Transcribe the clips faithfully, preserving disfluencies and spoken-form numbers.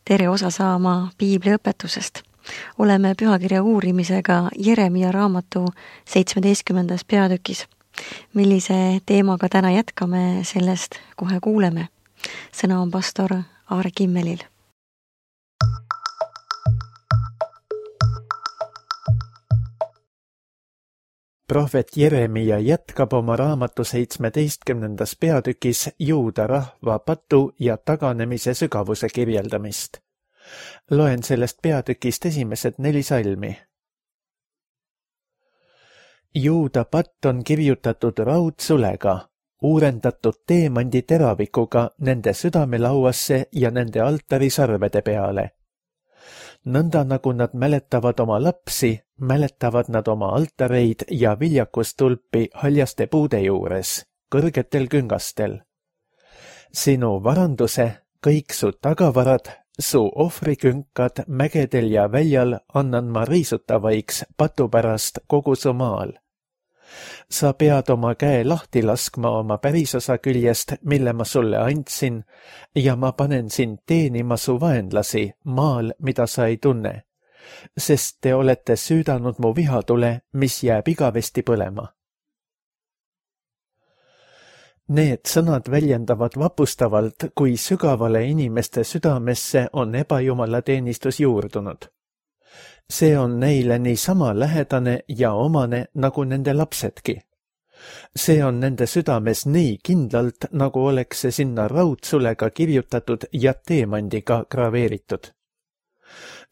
tere osa saama piibli õpetusest. Oleme pühakirja uurimisega Jeremia raamatu seitsmeteistkümnendas peatükis. Millise teemaga täna jätkame, sellest kohe kuuleme. Sõna on pastor Aare Kimmelil. Prohvet Jeremia jätkab oma raamatu seitsmeteistkümnendas peatükis juuda rahva patu ja taganemise sügavuse kirjeldamist. Loen sellest peatükist esimesed neli salmi. Juuda patt on kirjutatud raudsulega, uurendatud teemandi teravikuga nende südamelauasse ja nende altarisarvede peale. Nõnda nagu nad mäletavad oma lapsi, mäletavad nad oma altareid ja viljakustulpi haljaste puude juures, kõrgetel küngastel. Sinu varanduse, kõik su tagavarad, su ohvrikünkad mägedel ja väljal annan ma riisutavaiks patu pärast kogu su maal. Sa pead oma käe lahti laskma oma pärisosa küljest, mille ma sulle andsin, ja ma panen sind teenima su vaenlasi maal, mida sa ei tunne, sest te olete süüdanud mu vihatule, mis jääb igavesti põlema. Need sõnad väljendavad vapustavalt, kui sügavale inimeste südamesse on ebajumala teenistus juurdunud. See on neile nii sama lähedane ja omane nagu nende lapsedki. See on nende südames nii kindlalt, nagu oleks see sinna raudsulega kirjutatud ja teemandiga graveeritud.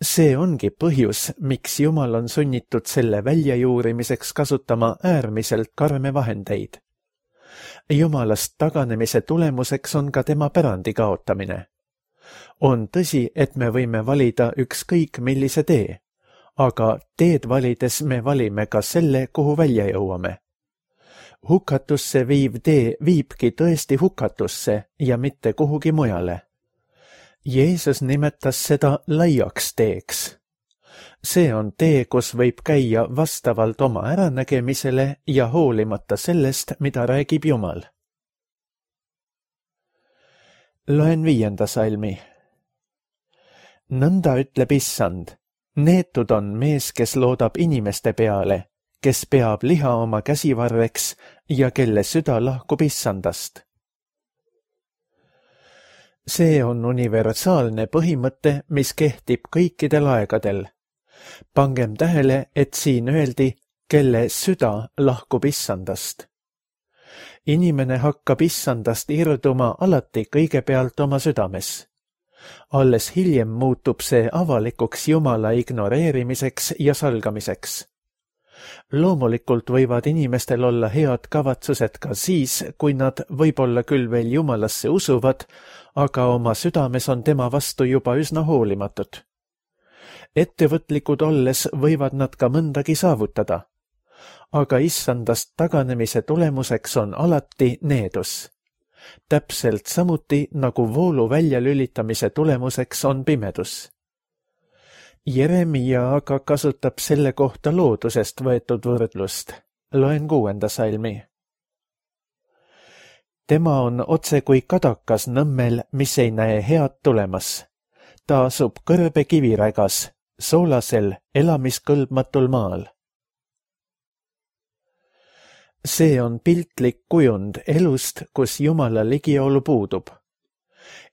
See ongi põhjus, miks Jumal on sunnitud selle väljajuurimiseks kasutama äärmiselt karme vahendeid. Jumalast taganemise tulemuseks on ka tema pärandi kaotamine. On tõsi, et me võime valida ükskõik millise tee, aga teed valides me valime ka selle, kuhu välja jõuame. Hukatusse viiv tee viibki tõesti hukatusse ja mitte kuhugi mujale. Jeesus nimetas seda laiaks teeks. See on tee, kus võib käia vastavalt oma äranägemisele ja hoolimata sellest, mida räägib Jumal. Loen viienda salmi. Nõnda ütleb Issand. Neetud on mees, kes loodab inimeste peale, kes peab liha oma käsivarreks ja kelle süda lahkub Issandast. See on universaalne põhimõte, mis kehtib kõikidel aegadel. Pangem tähele, et siin öeldi, kelle süda lahkub Issandast. Inimene hakkab Issandast irduma alati kõigepealt oma südames. Alles hiljem muutub see avalikuks Jumala ignoreerimiseks ja salgamiseks. Loomulikult võivad inimestel olla head kavatsused ka siis, kui nad võib-olla küll veel Jumalasse usuvad, aga oma südames on tema vastu juba üsna hoolimatud. Ettevõtlikud olles võivad nad ka mõndagi saavutada, aga Issandast taganemise tulemuseks on alati needus. Täpselt samuti nagu voolu väljalülitamise tulemuseks on pimedus. Jeremia aga kasutab selle kohta loodusest võetud võrdlust. Loen kuuenda salmi. Tema on otse kui kadakas nõmmel, mis ei näe head tulemas. Ta asub kõrbe kivirägas, soolasel, elamiskõlbmatul maal. See on piltlik kujund elust, kus Jumala ligiolu puudub.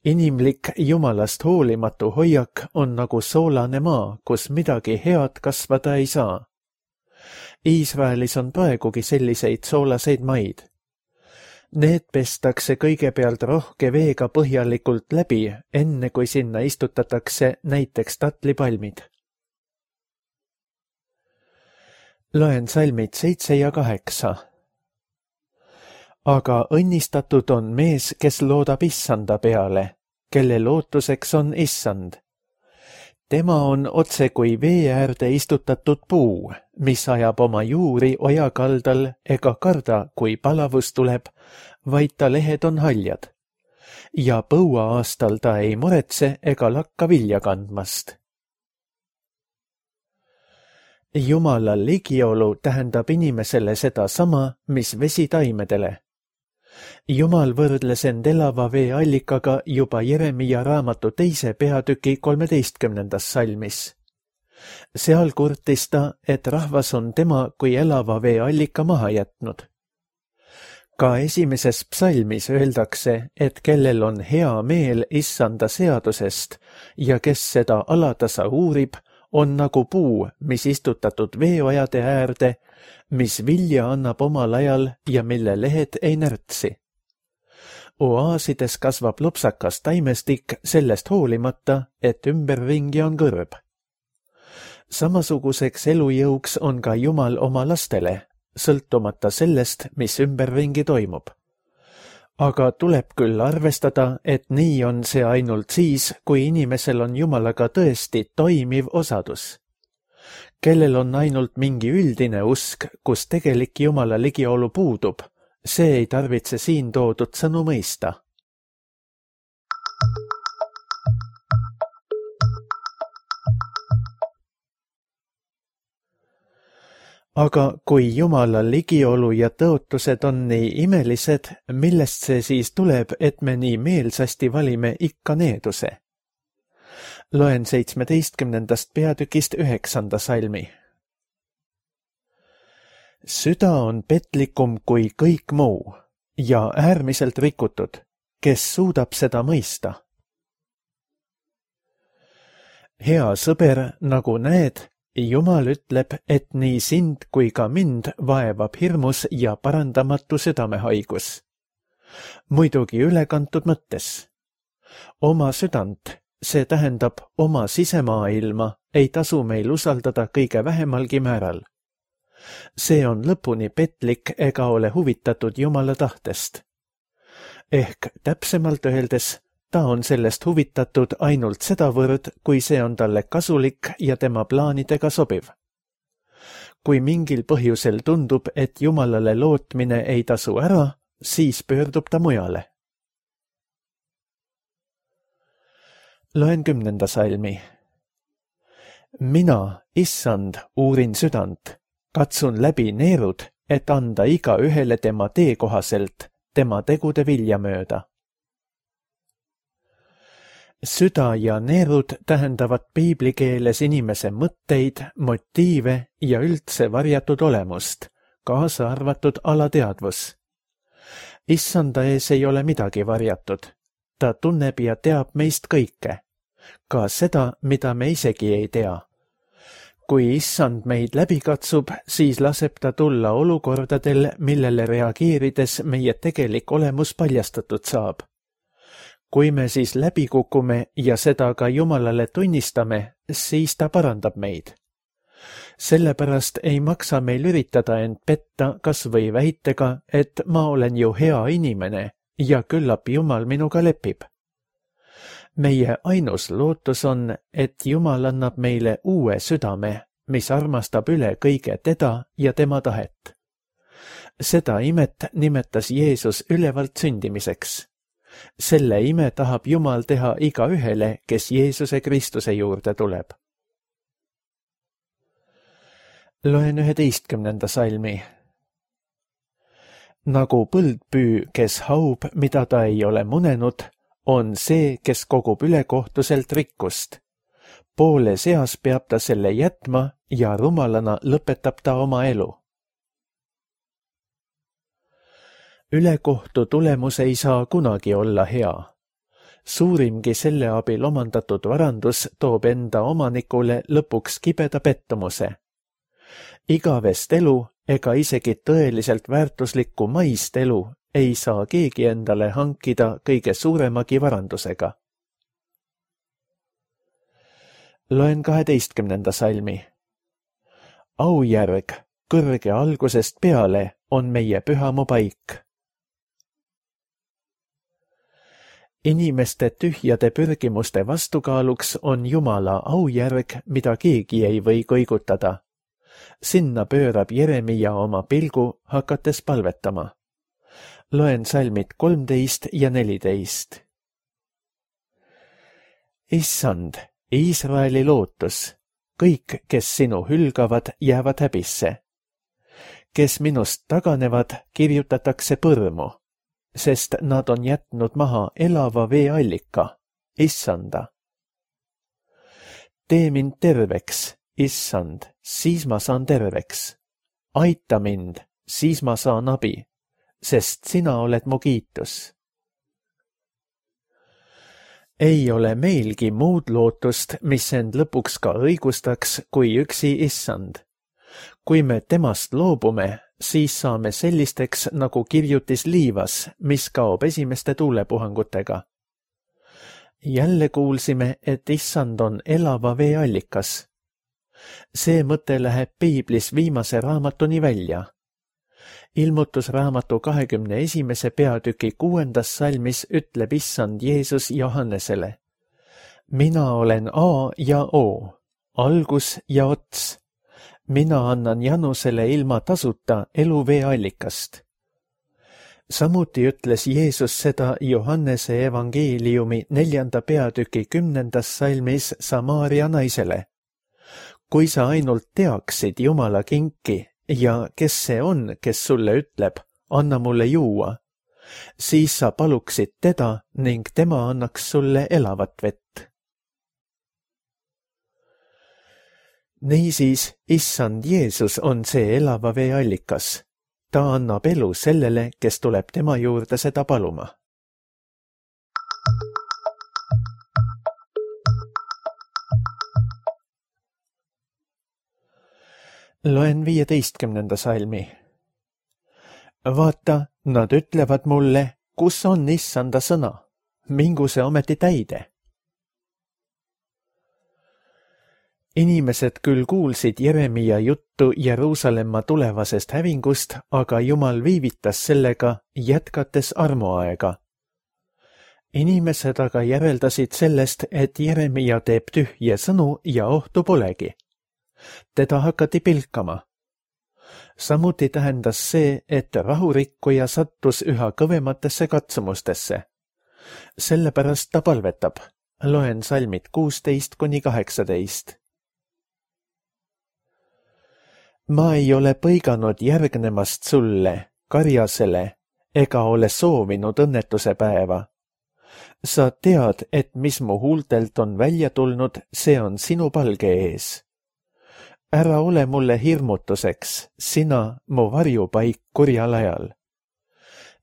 Inimlik Jumalast hoolimatu hoiak on nagu soolane maa, kus midagi head kasvada ei saa. Iisraelis on praegugi selliseid soolaseid maid. Need pestakse kõigepealt rohke veega põhjalikult läbi, enne kui sinna istutatakse näiteks tatlipalmid. Loen salmid seitse ja kaheksa. Aga õnnistatud on mees, kes loodab Issanda peale, kelle lootuseks on Issand. Tema on otse kui vee äärde istutatud puu, mis ajab oma juuri oja kaldal ega karda, kui palavus tuleb, vaid ta lehed on haljad. Ja põua aastal ta ei muretse ega lakka vilja kandmast. Jumala ligiolu tähendab inimesele seda sama, mis vesi taimedele. Jumal võrdles end elava vee allikaga juba Jeremia raamatu teise peatüki kolmeteistkümnendas salmis. Seal kurtis ta, et rahvas on tema kui elava vee allika maha jätnud. Ka esimeses psalmis öeldakse, et kellel on hea meel issanda seadusest ja kes seda alatasa uurib, on nagu puu, mis istutatud veeojade äärde, mis vilja annab omal ajal ja mille lehed ei närtsi. Oaasides kasvab lopsakas taimestik sellest hoolimata, et ümberringi on kõrb. Samasuguseks elujõuks on ka Jumal oma lastele, sõltumata sellest, mis ümberringi toimub. Aga tuleb küll arvestada, et nii on see ainult siis, kui inimesel on Jumalaga tõesti toimiv osadus. Kellel on ainult mingi üldine usk, kus tegelik Jumala ligiolu puudub, see ei tarvitse siin toodud sõnu mõista. Aga kui Jumala ligiolu ja tõotused on nii imelised, millest see siis tuleb, et me nii meelsasti valime ikka needuse? Loen seitsmeteistkümnendast peatükist üheksanda salmi. Süda on petlikum kui kõik muu ja äärmiselt rikutud, kes suudab seda mõista. Hea sõber, nagu näed, Jumal ütleb, et nii sind kui ka mind vaevab hirmus ja parandamatu südamehaigus. Muidugi ülekantud mõttes. Oma südant, see tähendab oma sisemaailma, ei tasu meil usaldada kõige vähemalgi määral. See on lõpuni petlik ega ole huvitatud Jumala tahtest. Ehk täpsemalt öeldes, ta on sellest huvitatud ainult sedavõrd, kui see on talle kasulik ja tema plaanidega sobiv. Kui mingil põhjusel tundub, et Jumalale lootmine ei tasu ära, siis pöördub ta mujale. Loen kümnenda salmi. Mina, issand, uurin südant, katsun läbi neerud, et anda iga ühele tema tee kohaselt, tema tegude vilja mööda. Süda ja neerud tähendavad piiblikeeles inimese mõtteid, motiive ja üldse varjatud olemust, kaasa arvatud alateadvus. Issanda ees ei ole midagi varjatud. Ta tunneb ja teab meist kõike, ka seda, mida me isegi ei tea. Kui issand meid läbi katsub, siis laseb ta tulla olukordadel, millele reageerides meie tegelik olemus paljastatud saab. Kui me siis läbi kukume ja seda ka Jumalale tunnistame, siis ta parandab meid. Sellepärast ei maksa meil üritada end petta kas või väitega, et ma olen ju hea inimene ja küllap Jumal minuga lepib. Meie ainus lootus on, et Jumal annab meile uue südame, mis armastab üle kõige teda ja tema tahet. Seda imet nimetas Jeesus ülevalt sündimiseks. Selle ime tahab Jumal teha iga ühele, kes Jeesuse Kristuse juurde tuleb. Loen üheteistkümnenda salmi. Nagu põldpüü, kes haub, mida ta ei ole munenud, on see, kes kogub ülekohtuselt rikkust. Poole seas peab ta selle jätma ja rumalana lõpetab ta oma elu. Ülekohtu tulemus ei saa kunagi olla hea. Suurimgi selle abil omandatud varandus toob enda omanikule lõpuks kibeda pettumuse. Igavest elu ega isegi tõeliselt väärtuslikku maist elu ei saa keegi endale hankida kõige suuremagi varandusega. Loen kaheteistkümnenda salmi. Aujärg, kõrge algusest peale, on meie pühamu paik. Inimeste tühjade pürgimuste vastukaaluks on Jumala aujärg, mida keegi ei või kõigutada. Sinna pöörab Jeremia oma pilgu, hakates palvetama. Loen salmid kolmteist ja neliteist. Issand, Iisraeli lootus, kõik, kes sinu hülgavad, jäävad häbisse. Kes minust taganevad, kirjutatakse põrmu. sest nad on jätnud maha elava veeallika, issanda. Tee mind terveks, issand, siis ma saan terveks. Aita mind, siis ma saan abi, sest sina oled mu kiitus. Ei ole meilgi muud lootust, mis end lõpuks ka õigustaks, kui üksi issand. Kui me temast loobume, siis saame sellisteks nagu kirjutis liivas, mis kaob esimeste tuulepuhangutega. Jälle kuulsime, et issand on elava veeallikas. See mõte läheb piiblis viimase raamatuni välja. Ilmutusraamatu kahekümne esimese peatüki kuuendas salmis ütleb issand Jeesus Johannesele: Mina olen A ja O, algus ja ots. Mina annan Janusele ilma tasuta eluveeallikast. Samuti ütles Jeesus seda Johannese evangeeliumi neljanda peatüki kümnendas salmis Samaaria naisele. Kui sa ainult teaksid Jumala kinki ja kes see on, kes sulle ütleb, anna mulle juua, siis sa paluksid teda ning tema annaks sulle elavat vett. Niisiis, issand Jeesus on see elava veeallikas. Ta annab elu sellele, kes tuleb tema juurde seda paluma. Loen viieteistkümnenda salmi. Vaata, nad ütlevad mulle, kus on issanda sõna, mingu see ometi täide. Inimesed küll kuulsid Jeremia juttu Jeruusalemma tulevasest hävingust, aga Jumal viivitas sellega, jätkates armuaega. Inimesed aga järeldasid sellest, et Jeremia teeb tühje sõnu ja ohtu polegi. Teda hakati pilkama. Samuti tähendas see, et rahurikkuja sattus üha kõvematesse katsumustesse. Sellepärast ta palvetab. Loen salmid kuusteist kuni kaheksateist. Ma ei ole põiganud järgnemast sulle, karjasele, ega ole soovinud õnnetuse päeva. Sa tead, et mis mu huultelt on välja tulnud, see on sinu palge ees. Ära ole mulle hirmutuseks, sina mu varjupaik kurjal ajal.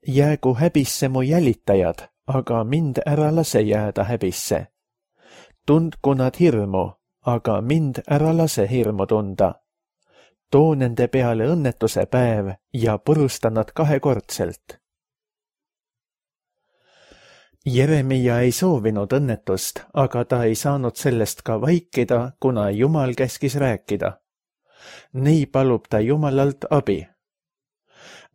Jäägu häbisse mu jälitajad, aga mind ära lase jääda häbisse. Tundku nad hirmu, aga mind ära lase hirmu tunda. Too nende peale õnnetuse päev ja purusta nad kahekordselt. Jeremia ei soovinud õnnetust, aga ta ei saanud sellest ka vaikida, kuna Jumal käskis rääkida. Nii palub ta Jumalalt abi.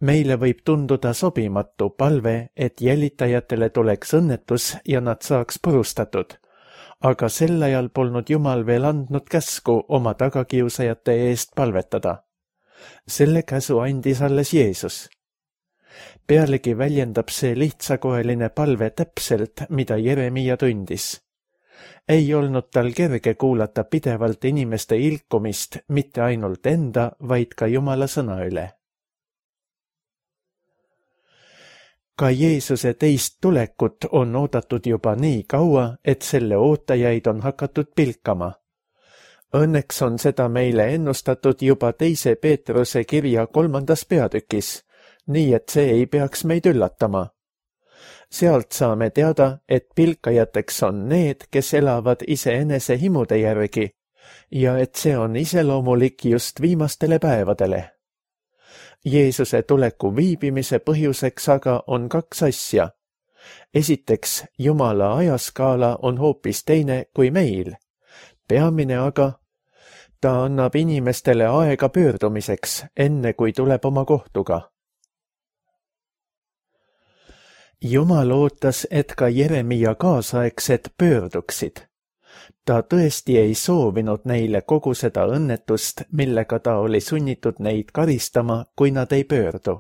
Meile võib tunduda sobimatu palve, et jälitajatele tuleks õnnetus ja nad saaks purustatud, aga sel ajal polnud Jumal veel andnud käsku oma tagakiusajate eest palvetada. Selle käsu andis alles Jeesus. Pealegi väljendab see lihtsakoeline palve täpselt, mida Jeremia tundis. Ei olnud tal kerge kuulata pidevalt inimeste ilkumist mitte ainult enda, vaid ka Jumala sõna üle. Ka Jeesuse teist tulekut on oodatud juba nii kaua, et selle ootajaid on hakatud pilkama. Õnneks on seda meile ennustatud juba teise Peetruse kirja kolmandas peatükis, nii et see ei peaks meid üllatama. Sealt saame teada, et pilkajateks on need, kes elavad iseenese himude järgi ja et see on iseloomulik just viimastele päevadele. Jeesuse tuleku viibimise põhjuseks aga on kaks asja. Esiteks, Jumala ajaskaala on hoopis teine kui meil. Peamine aga, ta annab inimestele aega pöördumiseks, enne kui tuleb oma kohtuga. Jumal ootas, et ka Jeremia kaasaegsed pöörduksid. Ta tõesti ei soovinud neile kogu seda õnnetust, millega ta oli sunnitud neid karistama, kui nad ei pöördu.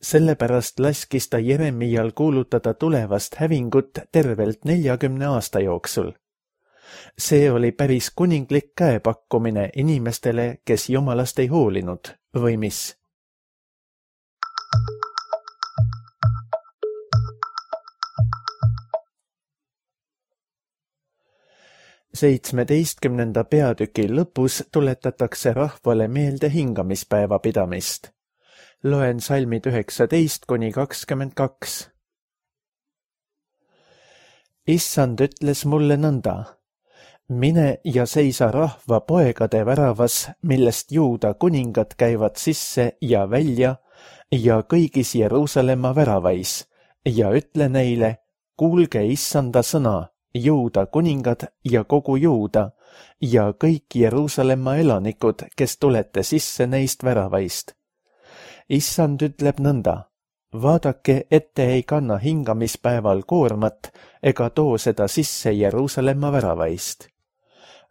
Sellepärast laskis ta Jeremial kuulutada tulevast hävingut tervelt neljakümne aasta jooksul. See oli päris kuninglik käepakkumine inimestele, kes Jumalast ei hoolinud, või mis? seitsmeteistkümnenda peatüki lõpus tuletatakse rahvale meelde hingamispäeva pidamist. Loen salmid üheksateist kuni kakskümmend kaks. Issand ütles mulle nõnda. Mine ja seisa rahva poegade väravas, millest Juuda kuningad käivad sisse ja välja ja kõigis Jeruusalemma väravais ja ütle neile, kuulge Issanda sõna, Juuda kuningad ja kogu Juuda ja kõik Jeruusalemma elanikud, kes tulete sisse neist väravaist. Issand ütleb nõnda, vaadake, et te ei kanna hingamispäeval koormat ega too seda sisse Jeruusalemma väravaist.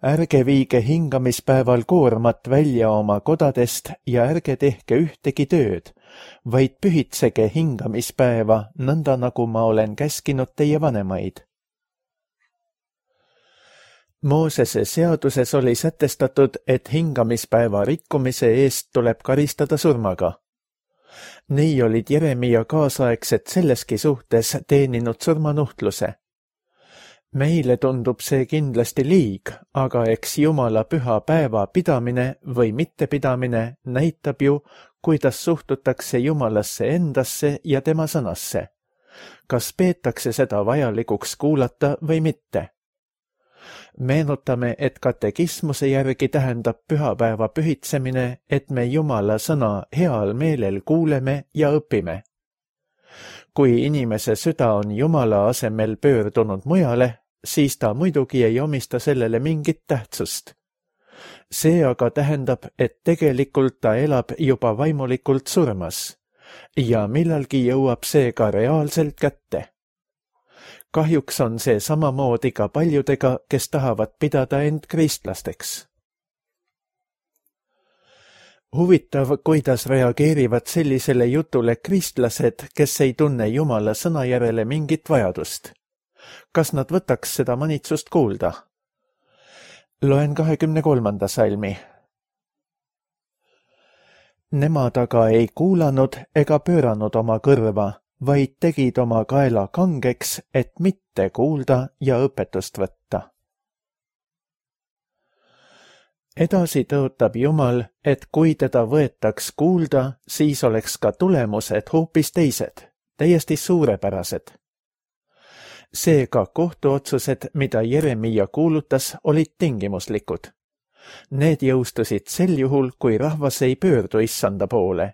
Ärge viige hingamispäeval koormat välja oma kodadest ja ärge tehke ühtegi tööd, vaid pühitsege hingamispäeva nõnda, nagu ma olen käskinud teie vanemaid. Moosese seaduses oli sätestatud, et hingamispäeva rikkumise eest tuleb karistada surmaga. Nii olid Jeremia kaasaegsed selleski suhtes teeninud surmanuhtluse. Meile tundub see kindlasti liig, aga eks Jumala püha päeva pidamine või mittepidamine näitab ju, kuidas suhtutakse Jumalasse endasse ja tema sõnasse. Kas peetakse seda vajalikuks kuulata või mitte? Meenutame, et katekismuse järgi tähendab pühapäeva pühitsemine, et me Jumala sõna heal meelel kuuleme ja õpime. Kui inimese süda on Jumala asemel pöördunud mujale, siis ta muidugi ei omista sellele mingit tähtsust. See aga tähendab, et tegelikult ta elab juba vaimulikult surmas ja millalgi jõuab see ka reaalselt kätte. Kahjuks on see samamoodi ka paljudega, kes tahavad pidada end kristlasteks. Huvitav, kuidas reageerivad sellisele jutule kristlased, kes ei tunne Jumala sõna järele mingit vajadust. Kas nad võtaks seda manitsust kuulda? Loen kahekümne kolmanda salmi. Nemad aga ei kuulanud ega pööranud oma kõrva, vaid tegid oma kaela kangeks, et mitte kuulda ja õpetust võtta. Edasi tõotab Jumal, et kui teda võetaks kuulda, siis oleks ka tulemused hoopis teised, täiesti suurepärased. Seega kohtuotsused, mida Jeremia kuulutas, olid tingimuslikud. Need jõustusid sel juhul, kui rahvas ei pöördu Issanda poole.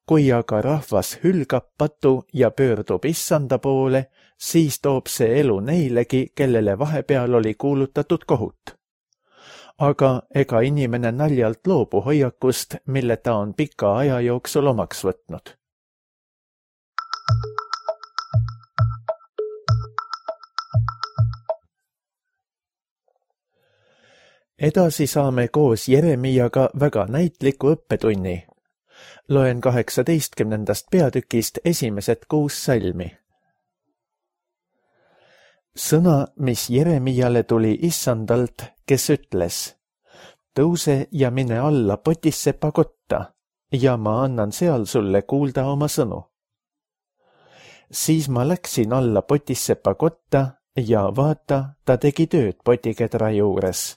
Kui aga rahvas hülgab patu ja pöördub Issanda poole, siis toob see elu neilegi, kellele vahepeal oli kuulutatud kohut. Aga ega inimene naljalt loobu hoiakust, mille ta on pika aja jooksul omaks võtnud. Edasi saame koos Jeremiaga väga näitliku õppetunni. Loen kaheksateistkümnendast peatükist esimesed kuus salmi. Sõna, mis Jeremiale tuli Issandalt, kes ütles, tõuse ja mine alla Potissepa kotta ja ma annan seal sulle kuulda oma sõnu. Siis ma läksin alla Potissepa kotta ja vaata, ta tegi tööd potikedra juures.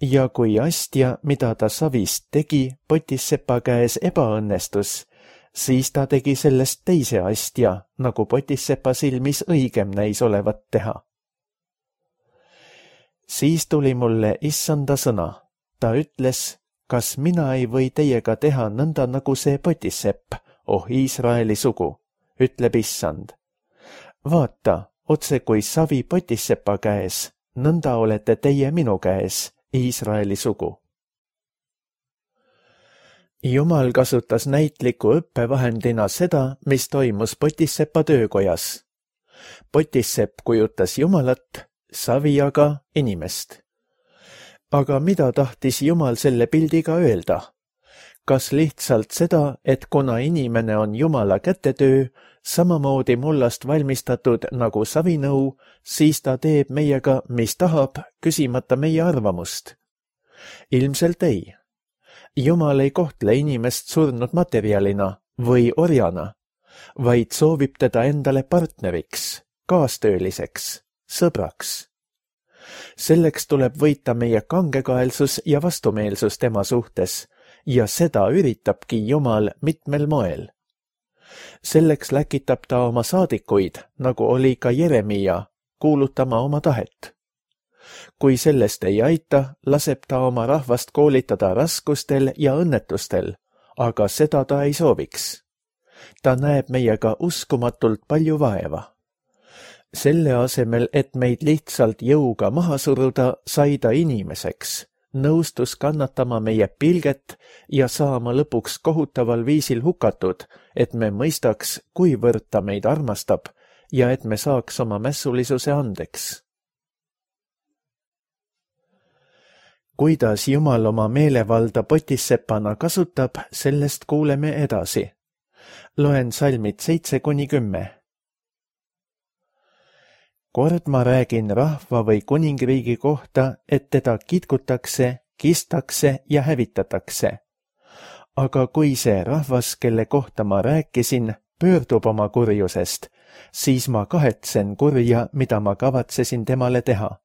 Ja kui astja, mida ta savist tegi, Potissepa käes ebaõnnestus, siis ta tegi sellest teise astja, nagu Potissepa silmis õigem näis olevat teha. Siis tuli mulle Issanda sõna. Ta ütles, kas mina ei või teiega teha nõnda nagu see Potissepp, oh Iisraeli sugu, ütleb Issand. Vaata, otse kui savi Potissepa käes, nõnda olete teie minu käes, Iisraeli sugu. Jumal kasutas näitliku õppevahendina seda, mis toimus Potissepa töökojas. Potissepp kujutas Jumalat, savi aga inimest. Aga mida tahtis Jumal selle pildiga öelda? Kas lihtsalt seda, et kuna inimene on Jumala kätetöö, samamoodi mullast valmistatud nagu savinõu, siis ta teeb meiega, mis tahab, küsimata meie arvamust? Ilmselt ei. Jumal ei kohtle inimest surnud materjalina või orjana, vaid soovib teda endale partneriks, kaastööliseks, sõbraks. selleks tuleb võita meie kangekaelsus ja vastumeelsus tema suhtes ja seda üritabki Jumal mitmel moel. Selleks läkitab ta oma saadikuid, nagu oli ka Jeremia, kuulutama oma tahet. Kui sellest ei aita, laseb ta oma rahvast koolitada raskustel ja õnnetustel, aga seda ta ei sooviks. Ta näeb meiega uskumatult palju vaeva. Selle asemel, et meid lihtsalt jõuga maha suruda, sai ta inimeseks, nõustus kannatama meie pilget ja saama lõpuks kohutaval viisil hukatud, et me mõistaks, kuivõrd ta meid armastab ja et me saaks oma mässulisuse andeks. Kuidas Jumal oma meelevalda potissepana kasutab, sellest kuuleme edasi. Loen salmid seitse kuni kümme. Kord ma räägin rahva või kuningriigi kohta, et teda kitkutakse, kistakse ja hävitatakse. Aga kui see rahvas, kelle kohta ma rääkisin, pöördub oma kurjusest, siis ma kahetsen kurja, mida ma kavatsesin temale teha.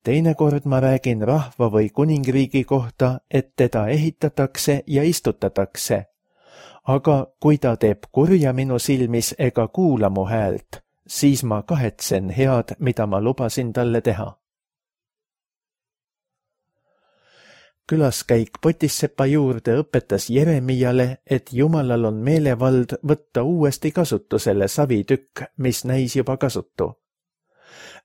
Teinekord ma räägin rahva või kuningriigi kohta, et teda ehitatakse ja istutatakse. Aga kui ta teeb kurja minu silmis ega kuula mu häält, siis ma kahetsen head, mida ma lubasin talle teha. Külaskäik Potissepa juurde õpetas Jeremiale, et Jumalal on meelevald võtta uuesti kasutusele savitükk, mis näis juba kasutu.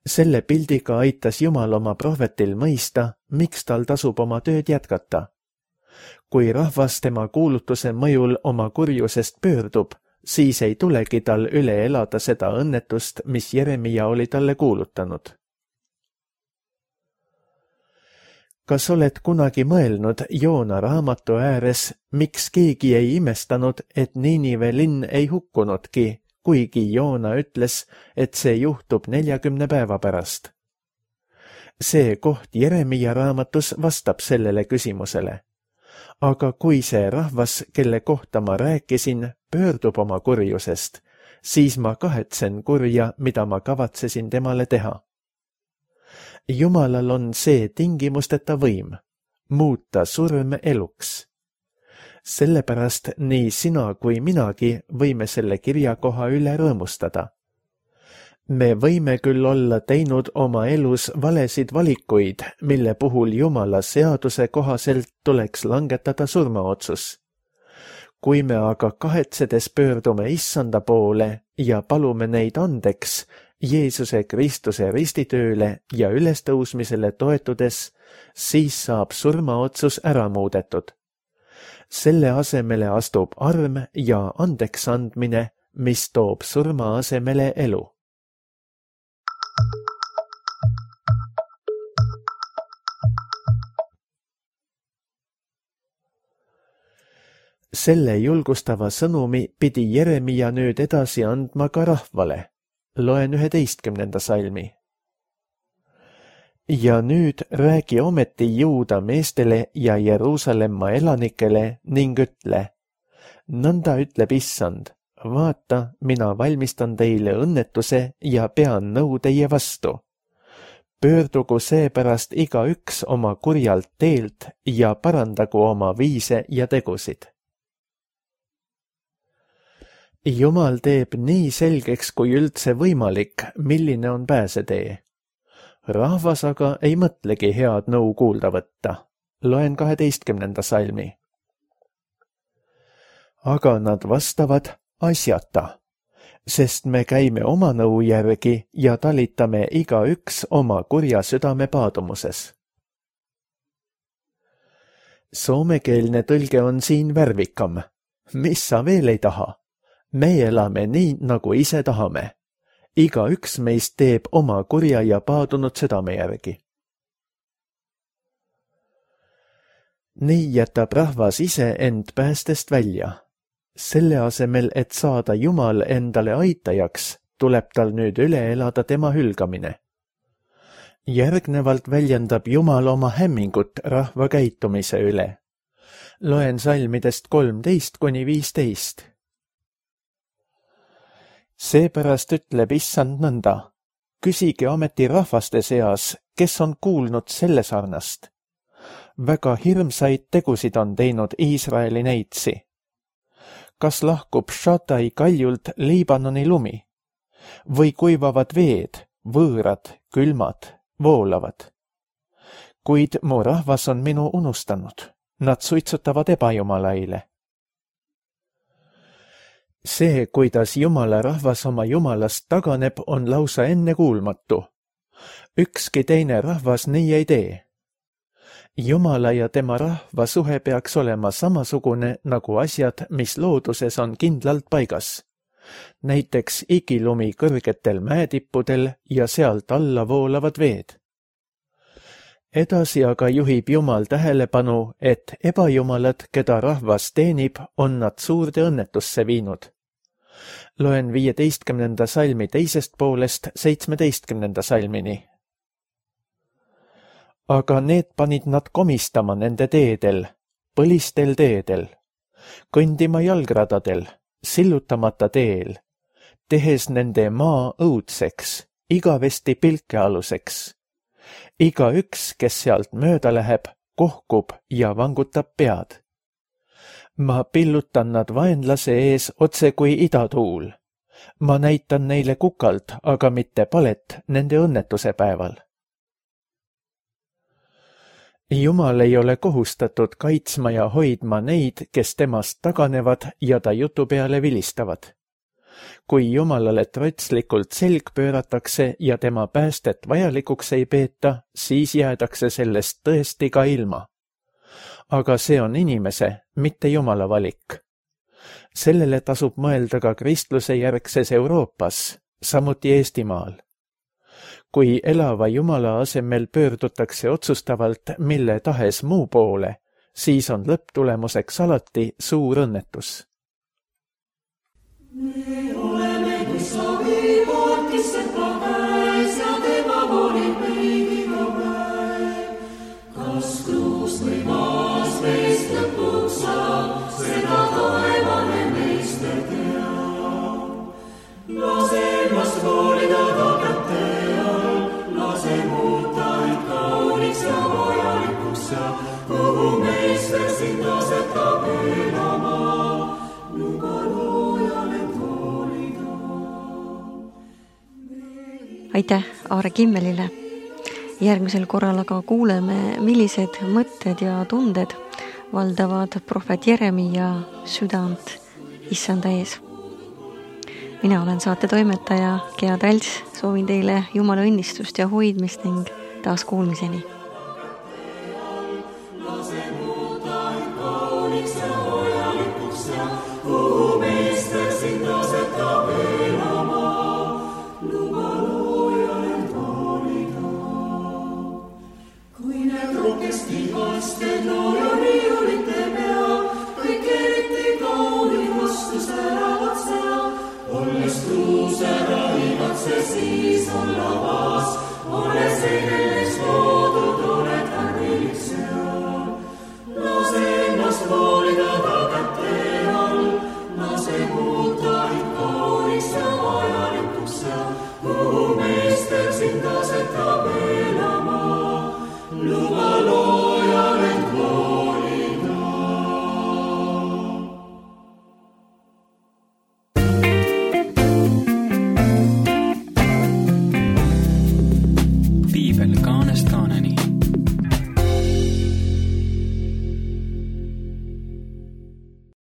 Selle pildiga aitas Jumal oma prohvetil mõista, miks tal tasub oma tööd jätkata. Kui rahvas tema kuulutuse mõjul oma kurjusest pöördub, siis ei tulegi tal üle elada seda õnnetust, mis Jeremia oli talle kuulutanud. Kas oled kunagi mõelnud Joona raamatu ääres, miks keegi ei imestanud, et Niinive linn ei hukkunudki, kuigi Joona ütles, et see juhtub neljakümne päeva pärast? See koht Jeremia raamatus vastab sellele küsimusele. Aga kui see rahvas, kelle kohta ma rääkisin, pöördub oma kurjusest, siis ma kahetsen kurja, mida ma kavatsesin temale teha. Jumalal on see tingimusteta võim, muuta surm eluks. Sellepärast nii sina kui minagi võime selle kirjakoha üle rõõmustada. Me võime küll olla teinud oma elus valesid valikuid, mille puhul Jumala seaduse kohaselt tuleks langetada surmaotsus. Kui me aga kahetsedes pöördume Issanda poole ja palume neid andeks Jeesuse Kristuse ristitööle ja ülestõusmisele toetudes, siis saab surmaotsus ära muudetud. Selle asemele astub arm ja andeks andmine, mis toob surma asemele elu. Selle julgustava sõnumi pidi Jeremia nüüd edasi andma ka rahvale. Loen üheteistkümnenda salmi. Ja nüüd räägi ometi Juuda meestele ja Jeruusalemma elanikele ning ütle. Nõnda ütleb Issand, vaata, mina valmistan teile õnnetuse ja pean nõu teie vastu. Pöördugu seepärast igaüks oma kurjalt teelt ja parandagu oma viise ja tegusid. Jumal teeb nii selgeks kui üldse võimalik, milline on pääsetee. Rahvas aga ei mõtlegi head nõu kuulda võtta. Loen kaheteistkümnenda salmi. Aga nad vastavad asjata, sest me käime oma nõu järgi ja talitame igaüks oma kurja südame paadumuses. Soomekeelne tõlge on siin värvikam. Mis sa veel ei taha? Me elame nii, nagu ise tahame. Igaüks meist teeb oma kurja ja paadunud südame järgi. Nii jätab rahvas ise end päästest välja. Selle asemel, et saada Jumal endale aitajaks, tuleb tal nüüd üle elada tema hülgamine. Järgnevalt väljendab Jumal oma hämmingut rahva käitumise üle. Loen salmidest kolmteist kuni viisteist. Seepärast ütleb Issand nõnda. Küsige ometi rahvaste seas, kes on kuulnud selle sarnast. Väga hirmsaid tegusid on teinud Iisraeli neitsi. Kas lahkub Shatai kaljult Liibanoni lumi? Või kuivavad veed, võõrad, külmad, voolavad? Kuid mu rahvas on minu unustanud. Nad suitsutavad ebajumalaile. See, kuidas Jumala rahvas oma Jumalast taganeb, on lausa ennekuulmatu. Ükski teine rahvas nii ei tee. Jumala ja tema rahva suhe peaks olema samasugune nagu asjad, mis looduses on kindlalt paigas. Näiteks igilumi kõrgetel mäetippudel ja sealt alla voolavad veed. Edasi aga juhib Jumal tähelepanu, et ebajumalad, keda rahvas teenib, on nad suurde õnnetusse viinud. Loen viieteistkümnenda salmi teisest poolest seitsmeteistkümnenda salmini. Aga need panid nad komistama nende teedel, põlistel teedel, kõndima jalgradadel, sillutamata teel, tehes nende maa õudseks, igavesti pilkealuseks. Iga üks, kes sealt mööda läheb, kohkub ja vangutab pead. Ma pillutan nad vaenlase ees otse kui idatuul. Ma näitan neile kukalt, aga mitte palet nende õnnetuse päeval. Jumal ei ole kohustatud kaitsma ja hoidma neid, kes temast taganevad ja ta jutu peale vilistavad. Kui Jumalale trotslikult selg pööratakse ja tema päästet vajalikuks ei peeta, siis jäädakse sellest tõesti ka ilma. Aga see on inimese, mitte Jumala valik. Sellele tasub mõelda ka kristluse järgses Euroopas, samuti Eestimaal. Kui elava Jumala asemel pöördutakse otsustavalt mille tahes muu poole, siis on lõpptulemuseks alati suur õnnetus. Me oleme kui savi pootisse pakäis ja tema volib meid iga päev. Kas kruus või maas meist lõpuks saab, seda taevane meister teab. Lase ennast hoolida ta kätte all, lase muuta end kauniks ja vajalikuks ja kuhu meister sind asetab elama. Luba loojale aitäh Aare Kimmelile. Järgmisel korral aga kuuleme, millised mõtted ja tunded valdavad prohvet Jeremia südant issanda ees. Mina olen saate toimetaja Gea Trälts, soovin teile Jumala õnnistust ja hoidmist ning taas kuulmiseni. Olles truuse rahivad see siis on lavas, olles eile